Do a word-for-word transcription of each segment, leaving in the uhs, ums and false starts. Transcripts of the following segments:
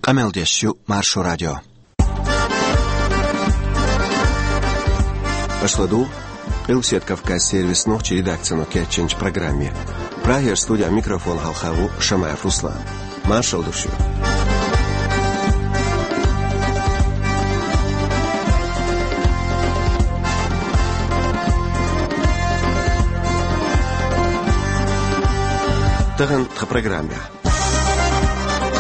Къамел деш ю Маршо радио. Аша ладугӀу Къилбаседа Кавказ сервисан нохчийн редакцино кечйинчу программе. Прагера студехь микрофон хьалха ву Шамаев Руслан. Маршалла ду шуьга. Тахана тхан программехь.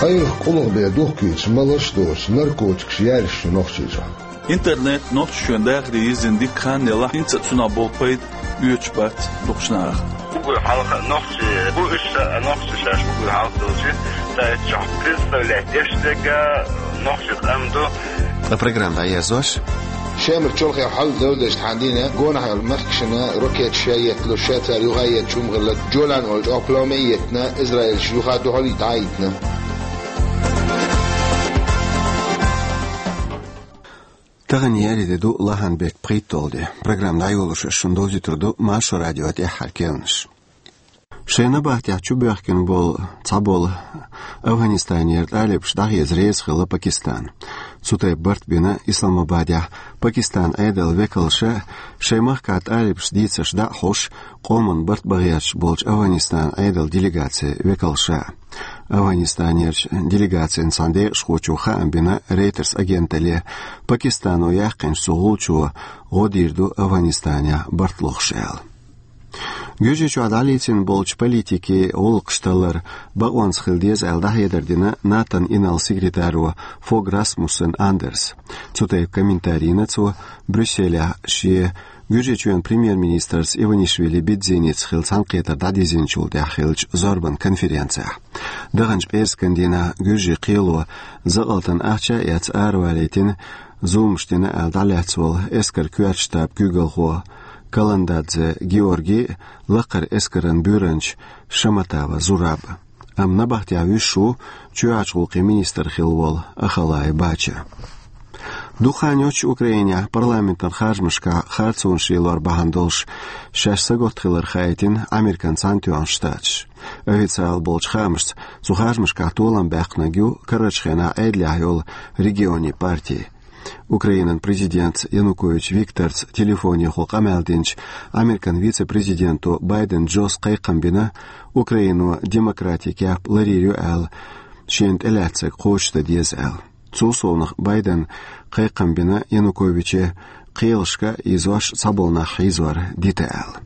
Къайлаха къулгӀа бен духкуьйтуш, малаш а доцуш, наркотикаш яьллаш ю Нохчийчохь. Интернет Нохчийчоьнан дахаре йирзина дикка хан а елахь, хӀинца а цунах болу пайда оьцуш бац дукхачу нахах. Уггар хьалха нохчий бу уьш, а нохчий шаьш уггар хьалха долчу сайташкахь представлять деш дерг а нохчийн къам ду. Ткъа программа дӀаерзош. Шемара чолхе хьал девлла деш тхьана дийна, гонах йолу мехкашна ракеташ ша етталуш, ша цара юха а етташ хӀума хилла, Джолан волчу оккха ломе а еттина, Израилш юха а дуьхьал а дӀа а йитина. Тахана еарин де ду, лахьан беттан пхийтталгӀа де. Программа дӀайолош ас шуна довзуьйтур ду Маршо радион тӀаьххьара керланаш. Шайн набахтехь чубоьхкина болу цхьаболу Афганистанера талибаш дӀахеза реза хилла Пакистан. Цу тайпа барт бина Исламабадехь Пакистанан Ӏедалан векалша, шайн махкахь талибашца дийцарш дӀа а хьош, къоман барт бан гӀерташ болчу Афганистанан Ӏедалан делегацин векалша. Афганистанерчу делегацин цхьана декъашхочо хаам бина Reuters агенталле, Пакистано яьккхинчу цу гӀулчо гӀо дийр ду Афганистанехь барт лохуш аьлла. Гуьржийчохь дӀалецна болчу политикийн гӀуллакхаш таллар бакъонца хила деза аьлла дӀахьедар дина НАТОн инарла секретаро Фог Расмуссен Андерса. Цу тайпа комментари йина цо Брюсселехь шен Гуьржийчоьнан премьер-министрца Иванишвили Бидзиница хилла цхьаьнакхетар дӀадирзинчул тӀаьхьа хиллачу зорбан конференцехь. Даханчу пӀераскан дийнахь Гуьржийн кхело закъалтан ахча а эцна аравалийтина, зуламаш дина аьлла дӀалаьцна волу эскаран коьртачу штабан куьйгалхо Каландадзе Георгий а, лакхара эскаран буьйранча Шаматова Зураб а. Амма набахтехь вуьсуш ву чоьхьарчу гӀуллакхийн министр хилла волу Ахалай Бача. Дукха хан йоццуш Украинехь парламентан харжамашкахь харцонаш лелор бахьана долуш шаьш сагатта хилар хаийтина Американ Цхьаьнатоьхна Штаташ. Официалан болчу хаамашца, цу харжамашкахь толам баьккхинарг ю карарчу хенахь Ӏедалехь йолу Регионийн партия. Украинан президентца Янукович Викторца телефонехула къамел динчу Американ вице-президенто Байден Джос кхайкхам бина, Украино демократин кеп ларйийр ю аьлла, шена тӀелаьцнарг кхочушдан деза аьлла. Цул совнаха Байдена кхайкхам бина Януковиче кхелашка а ийзош цхьаболу нах хьийзор дита аьлла.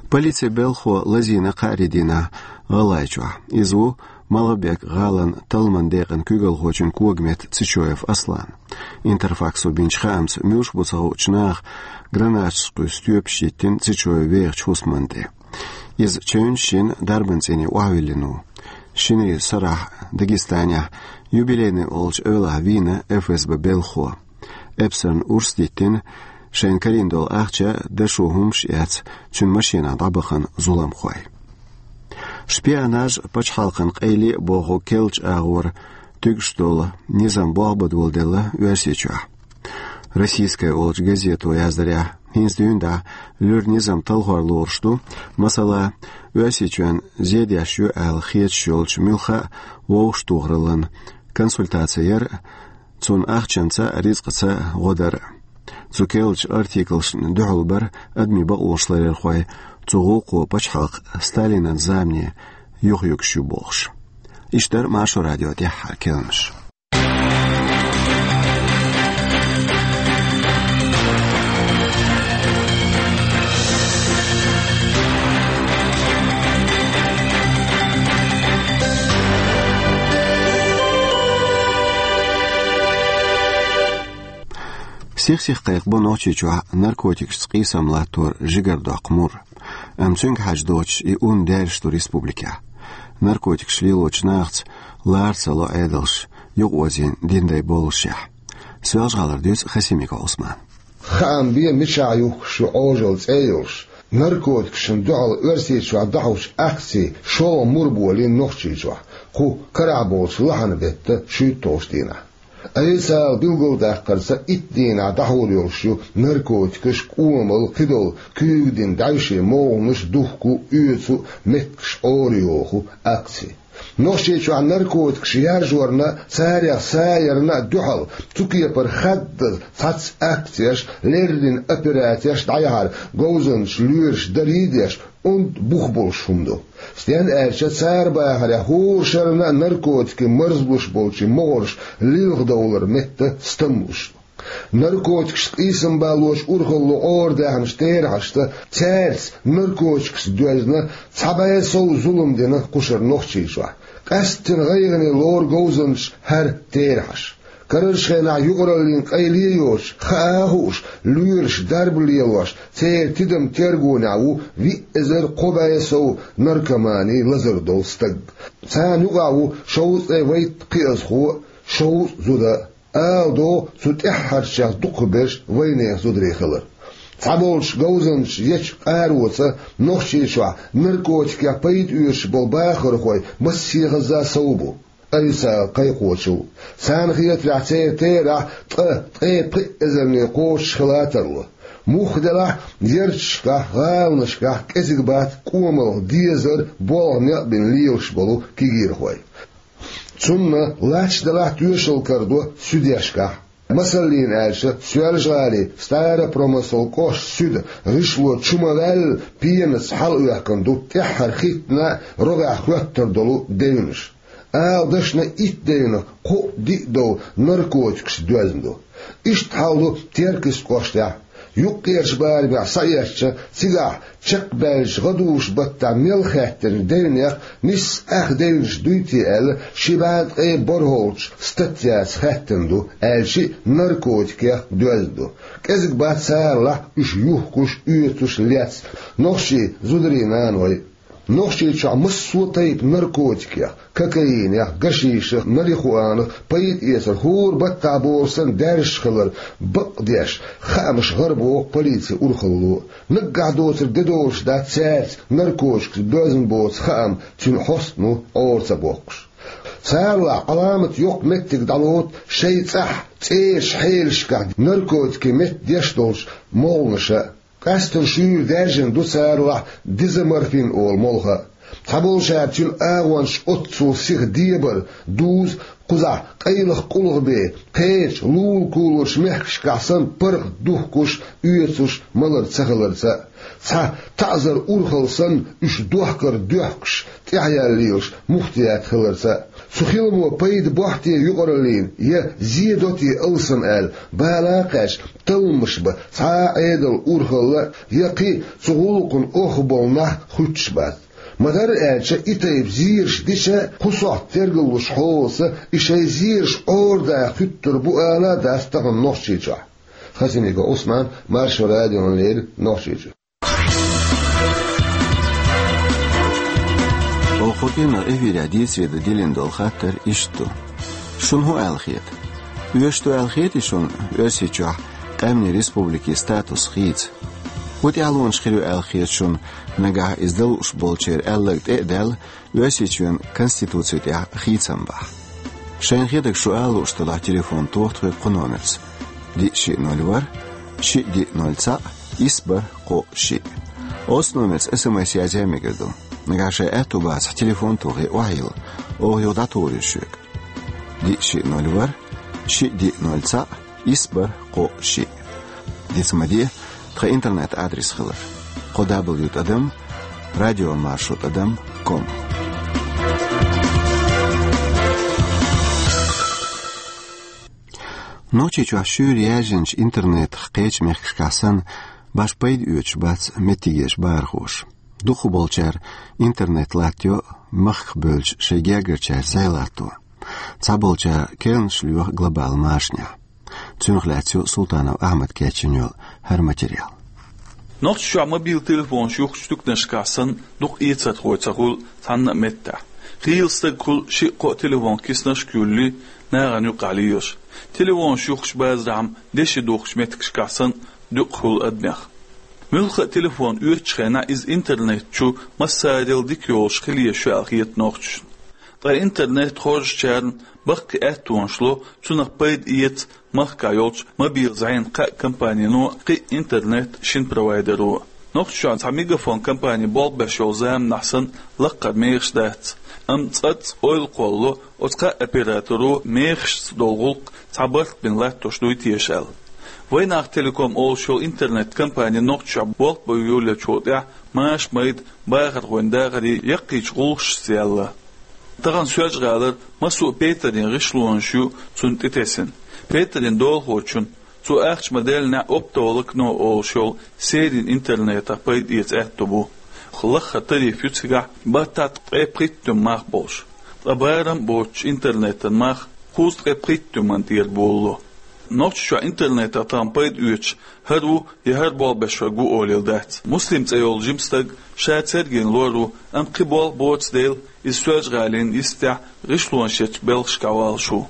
Полицин белхахо лазийна кхаарин дийнахь ГӀалгӀайчохь. Иза ву Малгобек-гӀалин талламан декъан куьйгалхочун когаметта Цечоев Аслан. Интерфаксо бинчу хаамца, муьлш бу ца хуучу наха гранаташ кхуьссу тоьпаш йиттина Цечоев вехачу хӀусамна тӀе. Иза чевнаш шина дарбан цӀийне охьавиллина ву. Шинарин сарахь Дагестанехь Юбилейный олучу эвлахь вийна ФСБ белхахо. Эпсарна урс диттина, шайна карийна долу ахча а, дашо хӀумаш а эцна, цуьнан машенахь дӀабахана зуламхой. Шпионаж а, пачхьалкхан къайле а боху керлачу агӀор туьгуш долу низам болх бан доладелла Оьрсийчохь. «Российская» олучу газето яздарехь, хӀинца дуьйна дӀа луьра низам талхор лоруш ду, масала, Оьрсийчоьнна зе деш ю аьлла хеташ йолчу муьлхха а вовшахтохараллин консультаци яр а, цунна ахчанца а, рицкъаца а гӀо дар а. Цу керлачу артиклашна дуьхьал бара адамийн бакъонаш ларъярхой, цу гӀуллакхо пачхьалкх Сталинан замане юхаюьгуш ю бохуш. Иштта дара Маршо радион тӀаьххьара керланаш. Сих-сиха кхайкхабо Нохчийчохь наркотикашца къийсам латтор жигара доккху мур. Амма цуьнга хьажа доцуш и ун даьржаш ду республикехь. Наркотикаш лелочу нахаца лара ца ло Ӏедалш, юкъаозийна диндай боллушехь. Соьлжа-ГӀалара дуьйцу Хасимиков Ӏусмана. Хаам бе, мичахь юхкуш ю Ӏожалла цӀе а йолуш, наркотикашна дуьхьал Оьрсийчохь дӀахьочу акцин шолгӀа мур болийна Нохчийчохь кху карахь болчу лахьан беттан шуьйтталгӀачу дийнахь. Айса билгалдаккхарца, итт дийнахь дӀахьур йолуш ю наркотикаш, кӀомал, кхидолу куьйга дина дӀаьвшийн могӀанаш духку, оьцу, меттигаш Ӏорайоху акци. Нохчийчохь наркотикаш яржорна а, царех са ярна а дуьхьал, цу кепара хаддаза цхьацца акцеш, леррина операцеш дӀаяхьара говзанчаш лоьраш дарий а деш, онда бух болуш хӀума ду. Стен аьлча, цара бахарехь, хӀора шарна а наркотикийн марзлуш болчийн могӀарш лилхадовлар метта стамлуш ду. Наркотикашца къийсам балочу урхалло Ӏорадаьхначу терахьашца, цаьрца наркотикашца доьзна цхьа бӀе сов зулам дина кхушара Нохчийчохь. Къаьсттина гӀайгӀане лору говзанчаша хӀара терахьаш. Карарчу хенахь юкъараллин къайле а йоцуш, хаа а хууш, лоьраш дарба лелош, церан тидам тергонехь ву виъ эзар кхо бӀе сов наркоманин лазар долу стаг. Царна юкъахь ву шовзткъе вайттан кхиазхо а, шовзткъа зуда а. Ала догӀу цу тӀаьххьарчех дукхахберш вайнехан зударий хилар. Цхьаболчу говзанчаша ечу къароца Нохчийчохь наркотикех пайда оьцуш болу бахархой массехаза сов бу, официалан кхайкхочул. Царна хетарехь, церан терахь ткъа, ткъе пхи эзарне кхочуш хила тарло. Мухха делахь, ярташкахь, гӀаланашкахь кӀезиг бац кӀомалх дезар, болх некъ бина лелаш болу кегийрхой. Цунна лач далахь, тоьшалла карадо суьдешкахь. Масаллина аьлча, Соьлжа-ГӀалин Старопромыслан кӀоштан суьда гӀишло чу ма-ваьлла пенаца хьалаоьхкина ду тӀаьххьара хӀиттина а рогӀехь хоьттур долу девнаш. Ала дашна, итт девнах кхоъ-диъ дов наркотикашца доьзна ду. Иштта хьал ду Теркйист кӀоштахь. Юккъерчу барамехь саэцча, цигахь чекхбаьллачу гӀадужу-баттахь мел хаьттинчу девнех нисса ах девнаш дуй те аьлла, ши бӀе ткъе бархӀолгӀачу статьяца хаьттина ду, аьлчи а наркотикех доьзна ду. КӀезиг бац царалахь уьш юхкуш, оьцуш, лецна нохчийн зударий, наной. Нохчийчохь массо а тайпа наркотикех, кокаинех, гашишах, марихуанах пайда эцар хӀора баттахь болуш санна даьржаш хилар бакъдеш, хаамаш гӀарабоху полицин урхалло. Наггахь доцург де долуш дац цаьрца наркотикашца доьзна боцу хаам цуьнан хьостано Ӏора ца боккхуш. Царалахь Ӏаламат йоккха меттиг дӀалоцу шайн цӀахь цӀерачу хьелашкахь наркотикийн метта деш долчу молханаша. Къаьсттина шуьйра даьржина ду царалахь дезоморфин олу молха. Цхьаболчара цуьнан агӀончаш оццул сиха дебар, дуза, кхузахь къайлаха къулгӀа бен, кхечу лулакуларчу мехкашкахь санна паргӀат духкуш, оьцуш малар ца хиларца а, цхьа таӀзар урхалла санна уьш дохкар доьхкуш, тӀаьхьаяьлла лелаш муфтият хиларца а. Цу хиламо пайда бохьу те юкъараллина, я зе до те алсам аьлла, бала а кхаьчна, талламаш бан цхьа а Ӏедалан урхалла а, я кхин цу гӀуллакхана охьаболу нах хуьттуш бац. Ма-дарра аьлча, и тайпа зераш дича, кху сохьта тергаллуш хьолаца и шайн зераш Ӏорадаха хуьттур бу ала а дац тахана Нохчийчохь. Хасимиков Ӏусман, Маршо радиона леррина, Нохчийчуьра. Оха кху кино эфирехь дийцаре дан диллина долу хаттар иштта ду. Шуна хӀун аьлла хета? Оьшуш ду аьлла хетий шуна Оьрсийчохь къаьмнийн республикин статус хийца? ХӀун тӀаьхьалонаш хир ю аьлла хета шуна, нагахь иза дан лууш болчеран аьлларг тӀе а даьлла, Оьрсийчоьнан Конституци тӀехь хийцам бахь? Шайна хетарг шу ала лууш делахь, телефон тоха тхоьга кху номерца: диъ шиъ ноль ворхӀ, шиъ диъ ноль цхьаъ, исс бархӀ кхоъ шиъ. Оцу номерца СМС язъян мегар ду. Нагахь шайн аьтту бацахь, телефон тохий, охьайилла, оха юха дӀатухур ю шуьга. Диъ шиъ ноль ворхӀ, шиъ диъ ноль цхьаъ, исс бархӀ кхоъ шиъ. Диц ма де тхан интернет-адрес хилар: кхо дабл ю тӀадам радиомаршо тӀадам ком. Нохчийчохь шуьйра яьржинчу интернетах кхечу мехкашкахь санна баш пайда оьцуш бац меттигерчу бахархоша. Дукхахболчара интернет латтайо, махках бевлча шайн гергарчаьрца зӀе латто. Цхьаболчара керланаш лоьху глобалан машанехь. Цунах лаьцна ю Султанов Ахьмада кечйина йолу хӀара материал. Нохчийчохь мобил телефонаш юхкучу дуьххьаршкахь санна дукха эцархой ца хуьлу цхьанна а меттехь. Хийла стаг хуьлу шиъ-кхоъ телефон киснашка юьллий, нахана юккъехь лелаш. Телефонаш юхкучу базарахь-м деши духкучу меттигашкахь санна дукха хуьлу адамех. Муьлхха а телефон оьцучу хенахь иза интернет чу массарел дика йолуш хила езаш ю аьлла хета нохчашна. Ткъа интернет хоржучарна баккхий аьттонаш ло, цунах пайда эца махкахь йолчу мобил зӀенан кхаа компанино а, кхин а интернет шина провайдеро а. Нохчийчоьнан цхьа Мегафон компани болх беш йолу заманахь санна лаккхара мехаш дац, амма цкъацкъа ойла кхоллало оцу кхаа операторо мехашца долу гӀуллакх цхьа барт бина латтош дуй теша аьлла. Вайнах Телеком олуш йолу интернет-компани Нохчийчохь болх бан йолаеллачул тӀаьхьа маша-майда бахархойн дахарийн яккхийчу гӀуллакхашца яьлла. Тахана Соьлжа-ГӀалара массо а петарийн гӀишлонаш ю цунна тӀетесна. Петарийн долахочунна цо ахча ма-деллинехь оптоволокно олуш йолу серийн интернетах пайда эца аьтто бу. Лаххара тариф ю цигахь баттахь ткъе пхийттуьма мах болуш. Ткъа барам а боцучу интернетан мах кхузткъе пхийттуьман тӀера болало. Нохчийчохь интернетах тахана пайда оьцуш хӀара ву я хӀара болх беш верг ву олийла дац. Муслим цӀе йолу жима стаг ша цергина лор ву, амма кхин болх боцу дела, иза Соьлжа-ГӀалин йистехь гӀишлонаш ечу белхашкахь валуш ву.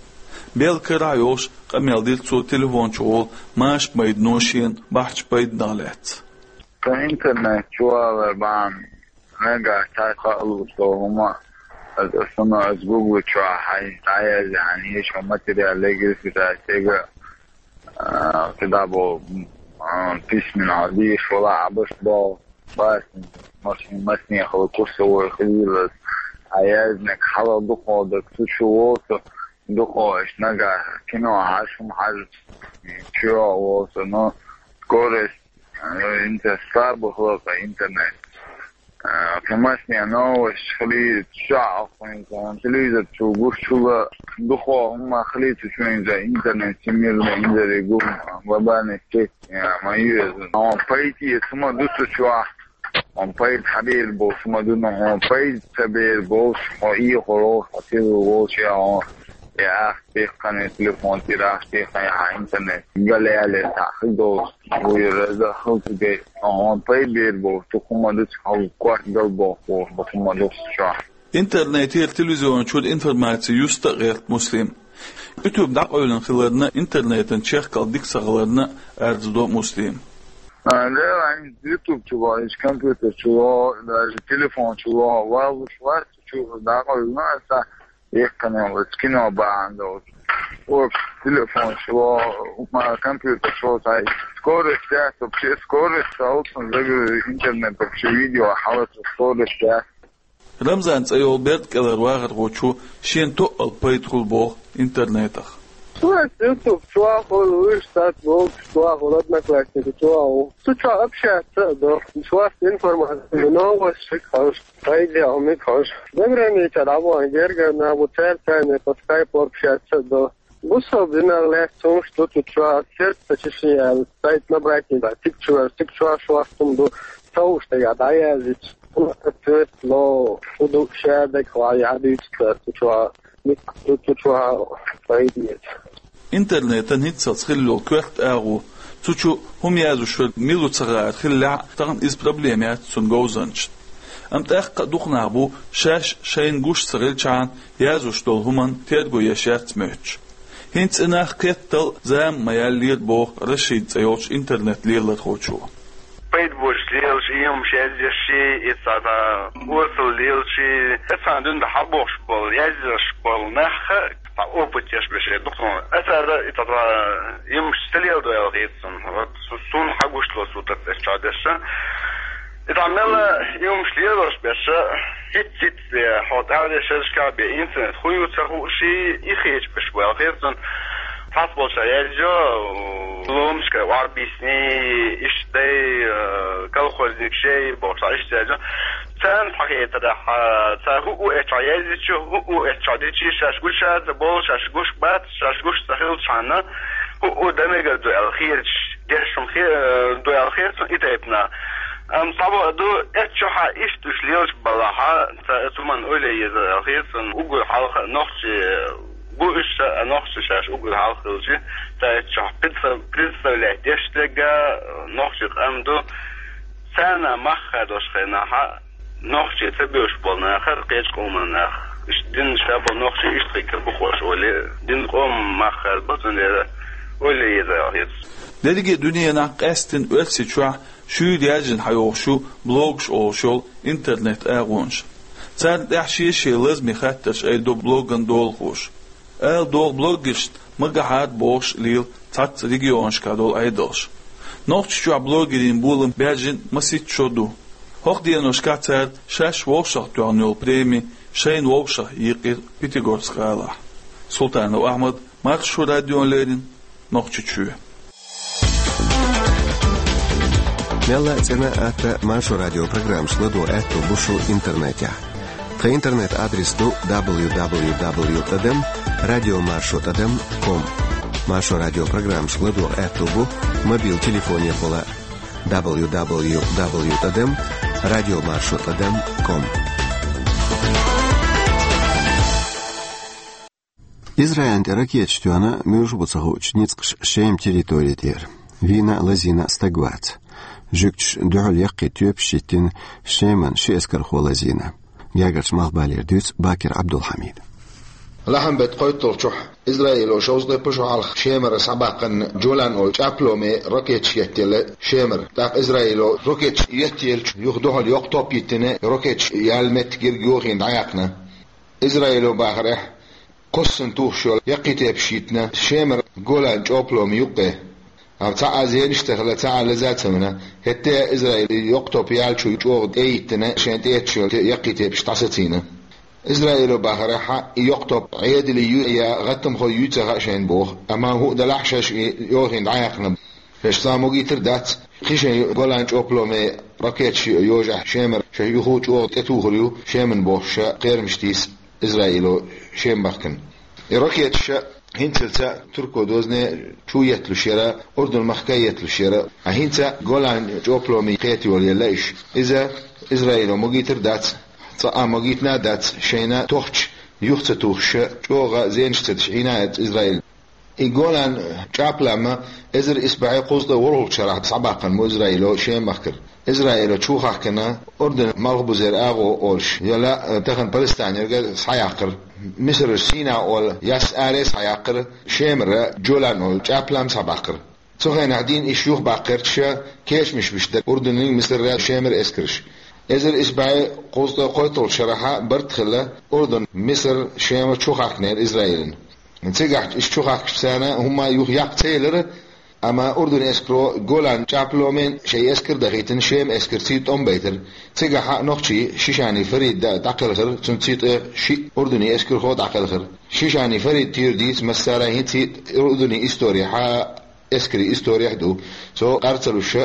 Белла карахь йолуш къамел дира цо телефон чухула маша-майдано шена бахьачу пайданах лаьцна. Сан интернет чу валар бахьана нагахь цхьа хаалуш долу хӀума, аса шуна аса Google чохь хьайн дӀаязъяхьана, ешо материал легирсита стега, а, кхидӀа бо, а, письменно дийш вала Ӏабаш бо, бас, машин, массанехула курсовой хилийла, а язниг хьала дукхо даг цу чу волу со, дукхо аш нагахь кино хьажа, хӀума хьажа, чу волу со, но скорость, а, инца слабо хилла интернет. А, кхин массане новость хилийта чохь а, хӀинца телевизор чу гуш чула дукхо хӀума хилийта чуьнца интернет всемирный инзаре гу, глобальный сеть, а, ма ю иза. Хьо пайда эца хӀума ду цу чохь. Хьо пайда хьабер болуш хӀума ду, но хьо пайда ца бер болуш, хьо ийхур волуш, хьо тилла волуш, я хьо, я ахча тӀехкхане телефон тӀера, ахча тӀехкхане хьан интернет галаяле цхьаъ хир долуш, вуй раза хилча гай, хьо пайда бер болуш, цу хӀума ду, цу хьо корта дала бохуш, боху хӀума ду цу чохь. Интернетера, телевизиончуьра информаци юста а гӀерта Муслим. YouTube дӀакъевлина хиларна, интернетан чехкалла дика ца хиларна а арз до Муслим. А, да, ай, YouTube чу ло, иш компьютер чу ло, даже телефон чу ло, валуш вац, чу дӀакъевлина аса, еккхане вац, кино бахьана долуш. Общ телефон чу ло, ма компьютер чу ло, тай, скорость яц, вообще скорость, алцун загрузить интернет, вообще видео хьалаца скорость яц. Рамзан цӀе йолу берда кӀелара вахархочо шена тоъал пайда хуьлу боху интернетах. Цо ас YouTube чохь хуьлу, уьш сац болчу чохь хуьлу, Одноклассники чохь хуьлу. Цу чохь общаться а до. Шуьца информация, новость шик хьожуш, пайда а хӀума хьожуш. Заграница дӀавахана гергара нах бу, цаьрца по скайпу общаться а до. Бусалба динах лаьцна хӀумаш ду цу чохь, сердцечешение аьлла, сайт набрать дан, цигахь чу вер, цигахь чохь шортта хӀума ду, ца хууш дагахь дӀаяздича, хӀун ответ ло, хӀун ду, шадерг хьо яхьа дуьйцу цара цу чохь, ницкъ ду цу чохь, пайда эца. Интернетан хӀинццалц хилла йолу коьрта агӀо, цу чу хӀума язъеш верг мила ву ца хаар хиллехь а, тахана иза проблема яц цунна говзанчашна. Амма тӀаккха а дукха нах бу, шаьш шайна гуш ца хилчхьана, язъеш долу хӀуманна терго еш яц моьттуш. ХӀинца и нах кхеттал а зама ма яьллера, боху Рашид цӀе йолчу интернет-лелархочо. Пайда боцуш лелаш, и хӀумаш язъеш, и цхьа-цхьа осал лелаш, и цхьана дуьнен хьабохуш болу, язъеш болу нах а, цхьа опыт еш берш дукха. Аса ара и цхьа-цхьа и хӀумаш ца леладо аьлла хета суна. Вот су-, суна хьагуш долу сутара эс чохь дерш. И цхьа мелла и хӀумаш лелош берш, хӀиц-хӀиц, э, хьо тӀаьхьарчу шерашкахь бен интернет хӀун ю ца хууш, и хеташ берш бу аьлла хета суна. Цхьацца болчара язйо, ломашкара охьабийсний, иштта дай, э, колхозник шей бохуш, иштта язйо. Царна хьахетарехь, цара хӀуъу эцча язйича, хӀуъу эцча дичи, шаьш гуш яц, болу шаьш гуш бац, шаьш гуш ца хилчхьана, хӀуъу дан мегар ду аьлла хеташ, дешам хе-, ду аьлла хета суна и тайпана. Амма цхьаболу ду, эцчохь иштта уьш лелаш балахь, ца-, цу хӀуманна ойла е еза аьлла хета суна, уггар хьалха нохчий бу уьш, а нохчий шаьш уггар хьалха хилча, ца эцчохь представ-, представлять деш дерг а нохчий къам ду, царна мах хадош хенахь, нохчий ца боьш болу нахара кхечу къоман нах. Иштта динна ша болу нохчий иштта хир бу хууш олий, динна къоман мах хадо, цундела ойла е еза аьлла хета. Дерриге дуьненахь, къаьсттина Оьрсийчохь, шуьйра яьржина хьайогӀуш ю блогаш олуш йолу интернет-агӀонаш. Царна тӀехь шен-шен лазаме хаттарш айдо блоган долахоша. Ала догӀу блогершна магахьара бохуш лела цхьацца регионашкахь долу Ӏедалш. Нохчийчохь блогерийн болам баьржина масийтта шо ду. ХӀокху деношкахь цара шаьш вовшахтоьхна йолу преми шайна вовшах йийкхира Пятигорск гӀалахь. Султанов Ахьмад, Маршо радиона леррина, Нохчийчоь. Мелла а цӀена а, атта а Маршо радион программашка ладогӀа аьтто бу шун интернетехь. Тхан интернет-адрес ду дабл ю дабл ю дабл ю тӀадам радиомаршо тӀадам ком. Маршо радион программашка ладогӀа аьтто бу мобил телефонехула дабл ю дабл ю дабл ю тӀадам радиомаршо тӀадам ком. Израилна тӀе ракеташ тоьхна муьлш бу ца хуучу ницкъаш Шеман территори тӀера. Вийна а, лазийна а стаг вац. Жуьгташа дуьхьал яккхий тоьпаш йиттина Шеман ши эскархо лазийна. Гергарчу Малхбалера дуьйцу Бакир Ӏабдулхьамида. Лахьанбеттан кхойтталгӀачохь Израило шовзткъе пхи шо хьалха Шемара схьабаьккхина Джолан олу чӀапломе ракеташ еттаелла Шемара. ТӀаккха Израило ракеташ еттаеллачу юха дуьхьал йоккха топ йиттина, ракеташ яьлла меттиг ерг йохийна дӀаяьккхина. Израило бахарехь, кхоссана тухуш йолу яккхий тоьпаш йиттина Шемара Голан чӀоплома юккъе. Амма цхьа а зенаш а ца хилла, цхьа а лаза а ца вина, хӀетте а Израило йоккха топ яьллачу чӀогӀа тӀе а йиттина, шайн тӀе етташ йолу яккхий тоьпаш дӀасацийна. Израило бахарехь, и йоккха топ Ӏедалан ю я гӀаттамхойн ю ца хаьа шайна боху, амма хӀуъа делахь а шаьш и йохийна дӀаяьккхина. Шаьш цхьа а могийтар дац, кхин шайн Голан чӀопломе ракеташ йожахь Шемара шайн юха чӀогӀа тӀетухур ю Шеман бохуш ша кхерамаш тийса Израило Шем бахкана. И ракеташ хӀинцалц турко дозане чу етталуш яра, Урдун махка етталуш яра. Ткъа хӀинца Голан чӀопломе кхета йолаелла уьш. Иза Израило могийтар дац, цкъа а могийтина а дац, шайна тохча юха ца тухуш, чӀогӀа зенаш ца деш Ӏийна а яц Израило. И Голан чӀаплам эзар исс бӀе кхузткъе ворхӀалгӀачу шарахь схьабаьккхина бу Израило Шем махкара. Израило чу хахкина Урдун малхбузера агӀо олуш, я ла, тахана Палестинера схьаяккхира. Мисарара Сина олу ясса аре схьаяккхира, Шемара Джолан олу чӀаплам схьабаьккхира. Цу хенахь дийна уьш юхабаккхарца кечамаш беш дара Урдунан, Мисаран, Шеман эскарш. Эзар исс бӀе кхузткъе кхойтталгӀачу шарахь барт хилла Урдун, Мисар, Шема чу хахкинера Израилна. Цигахь уьш чу хахкича царна хӀумма юха яккха ца елира, амма Урдунан эскаро Голан чӀапломе шайн эскар дахийтина Шеман эскарций тӀом байтира. Цигахь нохчийн Шишани Фарид дӀакхелхира, цуьнций тӀе шиъ Урдунан эскархо дӀакхелхира. Шишани Фарид тӀера дийца массара а хӀинций Урдунан историхь, эскарийн историхь ду. Цо къар ца луш,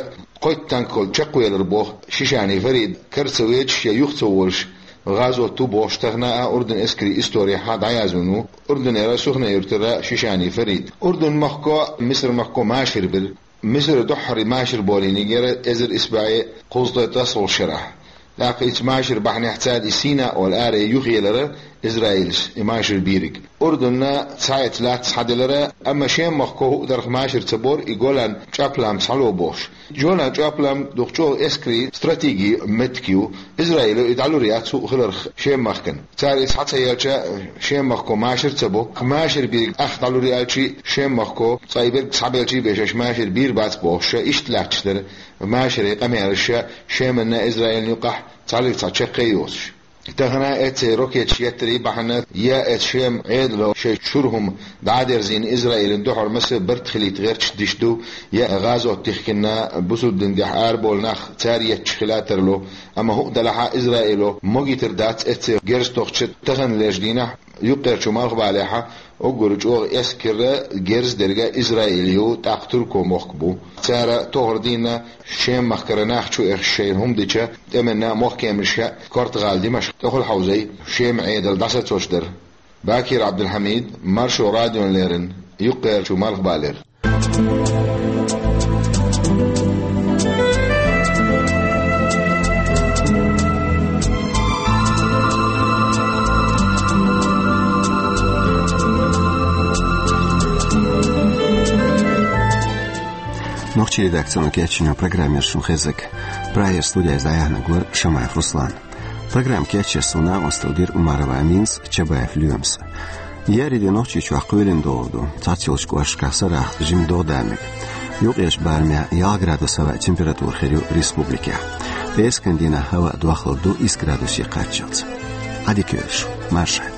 кхойтта танк чекхвелира боху Шишани Фарид, кара ца вечаш я юха ца волуш, гӀазот ву бохуш тахана а Урдун эскарийн историхь дӀаязвина ву. Урдунера Сухне-юьртара Шишани Фарид. Урдун махко, Мисар махко машар бира. Мисара дуьххьара машар болийнарг яра эзар исс бӀе кхузткъе ткъесналгӀачу шарахь. ТӀаккха и цу машаран бахьанехь цара и Сина олу аре юхаелира Израилс, и машар бийриг. Урдунна цхьаэца лаьцна схьаделира, амма Шем махко хӀуъа дарх машар ца бора, и Голан чӀаплам схьало бохуш. Джолан чӀаплам дукха чӀогӀа эскарийн стратегин меттиг ю, Израило и дӀалур яц хӀуъа хиларх Шем махкана. Цара и схьа ца елча, Шем махко машар ца бо. Машар бийриг ах дӀалур аьлчий, Шем махко цкъа и берг схьабелчий бен шаьш машар бийр бац бохуш, иштта лаьтташ дара машаран къамелаш Шеманна Израилна юкъахь цхьаллиг цхьа чаккхе йоцуш. Тахана эццехь ракеташ еттарийн бахьана я эцу Шеман Ӏедало шайн чуьра хӀума дӀа а дерзийна, Израилна дуьхьал маса барт хилийта гӀерташ диш ду, я гӀазот тихкина бусулба дин тӀехь араболу нах цара етташ хила а тарло, амма хӀуъа делахь а Израило могийтар дац эццехь герз тохча тахана леш дийнахь, юккъерчу Малхбалехь уггар чӀогӀа эскаран герз дерг Израил ю, тӀаккха Турко мохк бу. Цара тохара дийнна Шем махкара нах чу эхаш шайна хӀума дича, тӀеман мохк кеманаш а Корта-гӀала, Димашкъ тӀехула хьовзий, Шеман Ӏедал дӀасацош дара. Бакир Ӏабдулхьамид, Маршо радиона леррина, юккъерчу Малхбалера. Нохчийн редакцино кечйина программа яра шуна хезнарг. Прагера студехь дӀаяьхьнарг вара Шамаев Руслан. Программа кечъеш цунна накъосталла дира Умарова Аминас, Чабаев Лоьмас. Еарин де Нохчийчохь кхоьлина догӀур ду. Цхьацца йолчу кӀошташкахь сарахь жимма догӀа дан мега. Юккъерчу барамехь ялх градус хӀаваан температура хир ю республикехь. Пхераскан дийнахь хӀаваан дохлур ду исс градусе кхаччалц. Ӏадика йойла шу, марша Ӏойла.